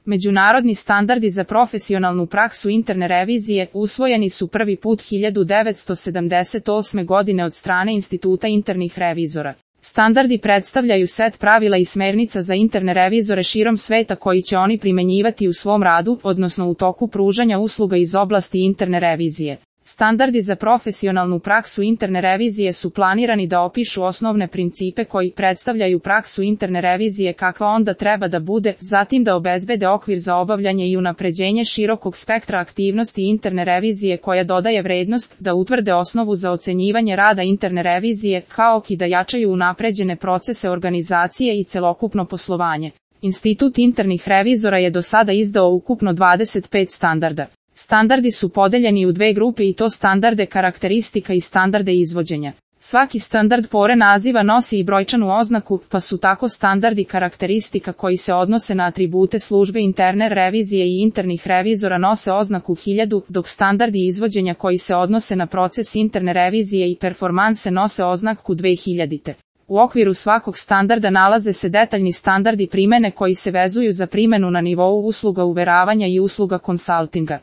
Međunarodni standardi za profesionalnu praksu interne revizije usvojeni su prvi put 1978. godine od strane Instituta internih revizora. Standardi predstavljaju set pravila i smernica za interne revizore širom sveta koji će oni primenjivati u svom radu, odnosno u toku pružanja usluga iz oblasti interne revizije. Standardi za profesionalnu praksu interne revizije su planirani da opišu osnovne principe koji predstavljaju praksu interne revizije kakva onda treba da bude, zatim da obezbede okvir za obavljanje i unapređenje širokog spektra aktivnosti interne revizije koja dodaje vrednost, da utvrde osnovu za ocenjivanje rada interne revizije, kao i da jačaju unapređene procese organizacije i celokupno poslovanje. Institut internih revizora je do sada izdao ukupno 25 standarda. Standardi su podeljeni u dve grupe i to standarde karakteristika i standarde izvođenja. Svaki standard pored naziva nosi i brojčanu oznaku, pa su tako standardi karakteristika koji se odnose na atribute službe interne revizije i internih revizora nose oznaku 1000, dok standardi izvođenja koji se odnose na proces interne revizije i performanse nose oznaku 2000. U okviru svakog standarda nalaze se detaljni standardi primene koji se vezuju za primenu na nivou usluga uveravanja i usluga konsaltinga.